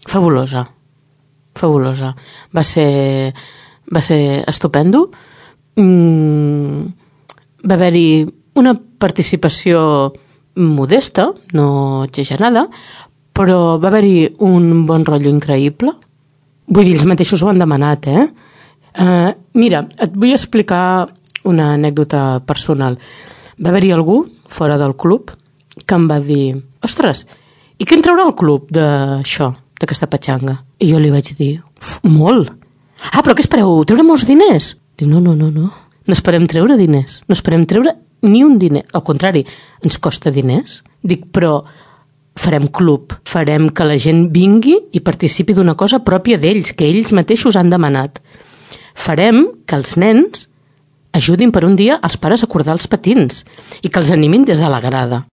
fabulosa. Fabulosa. Va ser estupendo. Va haver-hi una participació modesta, no exagerada, però va haver-hi un bon rotllo increïble. Vull dir, ells mateixos ho han demanat, mira, et vull explicar una anècdota personal. Va haver-hi algú fora del club que em va dir: ostres, i què en traurà el club d'això, d'aquesta petxanga? I jo li vaig dir: molt. Ah, però què espereu? Treure molts diners? Diu, no. No esperem treure diners. No esperem treure ni un diner. Al contrari, ens costa diners. Dic, però farem club. Farem que la gent vingui i participi d'una cosa pròpia d'ells, que ells mateixos han demanat. Farem que els nens ajudin per un dia als pares a cordar els patins i que els animin des de la grada.